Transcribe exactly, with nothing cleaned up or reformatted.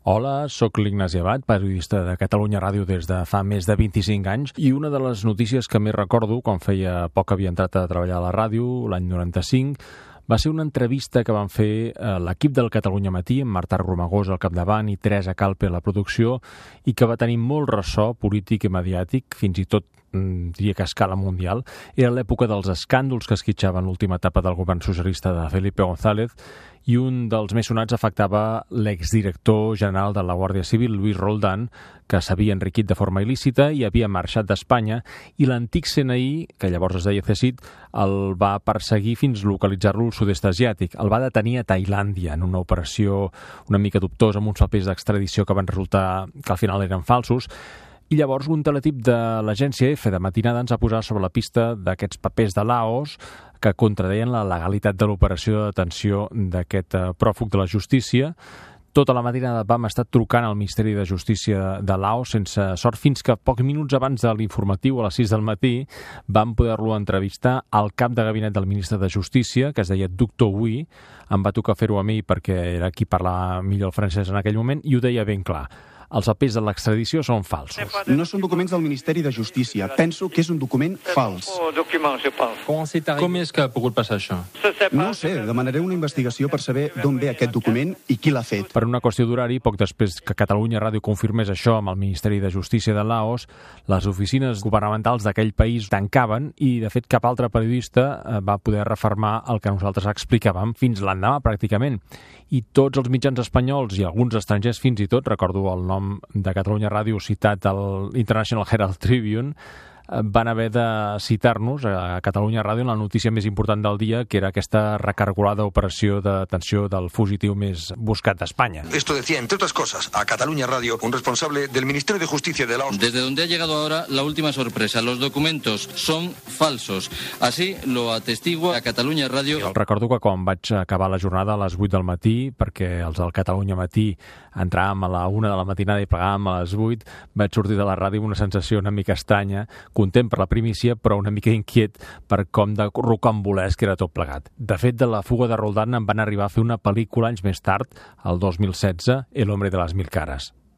Hola, sóc l'Ignasi Abad, periodista de Catalunya Ràdio des de fa més de vint-i-cinc anys, i una de les notícies que més recordo, quan feia poc que havia entrat a treballar a la ràdio, l'any noranta-cinc, va ser una entrevista que van fer l'equip del Catalunya Matí, amb Marta Romagós al capdavant i Teresa Calpe a la producció, i que va tenir molt ressò polític i mediàtic, fins i tot diria que a escala mundial. Era l'època dels escàndols que esquitxaven l'última etapa del govern socialista de Felipe González, i un dels més sonats afectava l'exdirector general de la Guàrdia Civil, Luis Roldán, que s'havia enriquit de forma il·lícita i havia marxat d'Espanya, i l'antic C N I, que llavors es deia C S I T, el va perseguir fins localitzar-lo al sud-est asiàtic. El va detenir a Tailàndia en una operació una mica dubtosa amb uns papers d'extradició que van resultar que al final eren falsos. I llavors un teletip de l'agència F de matinada ens ha posat sobre la pista d'aquests papers de Laos que contradeien la legalitat de l'operació de detenció d'aquest pròfug de la justícia. Tota la matinada vam estar trucant al Ministeri de Justícia de Laos sense sort, fins que pocs minuts abans de l'informatiu, a les sis del matí, vam poder-lo entrevistar al cap de gabinet del ministre de Justícia, que es deia doctor Hui. Em va tocar fer-ho a mi perquè era qui parlava millor el francès en aquell moment, i ho deia ben clar. Els papers de l'extradició són falsos. No són documents del Ministeri de Justícia. Penso que és un document fals. Com és que ha pogut passar això? No ho sé, demanaré una investigació per saber d'on ve aquest document i qui l'ha fet. Per una qüestió d'horari, poc després que Catalunya Ràdio confirmés això amb el Ministeri de Justícia de Laos, les oficines governamentals d'aquell país tancaven i, de fet, cap altre periodista va poder refermar el que nosaltres explicàvem fins l'endemà, pràcticament. I tots els mitjans espanyols i alguns estrangers fins i tot, recordo el nom de Catalunya Ràdio citat al International Herald Tribune, van haver de citar-nos a Catalunya Ràdio en la notícia més important del dia, que era aquesta recargolada operació de detenció del fugitiu més buscat d'Espanya. Esto decía, entre otras cosas, a Catalunya Ràdio, un responsable del Ministerio de Justicia de Laos. Desde donde ha llegado ahora la última sorpresa. Los documentos son falsos. Así lo atestigua a Catalunya Ràdio. Jo recordo que quan vaig acabar la jornada a les vuit del matí, perquè els del Catalunya Matí entràvem a la una de la matinada i plegàvem a les vuit, vaig sortir de la ràdio amb una sensació una mica estranya, content per la primícia, però una mica inquiet per com de rocambolesc era tot plegat. De fet, de la fuga de Roldán en van arribar a fer una pel·lícula anys més tard, el dos mil setze, El hombre de las mil caras.